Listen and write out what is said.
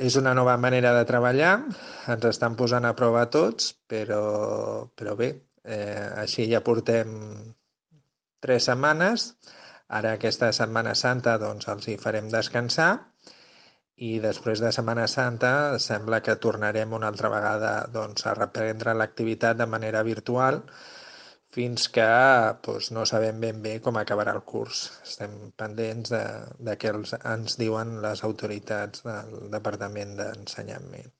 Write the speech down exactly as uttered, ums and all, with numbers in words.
És una nova manera de treballar, ens estan posant a prova a tots, però, però bé, eh, així ja portem tres setmanes. Ara aquesta Setmana Santa doncs els hi farem descansar i després de Setmana Santa sembla que tornarem una altra vegada doncs, a reprendre l'activitat de manera virtual fins que doncs, no sabem ben bé com acabarà el curs. Estem pendents de, de què els, ens diuen les autoritats del Departament d'Ensenyament.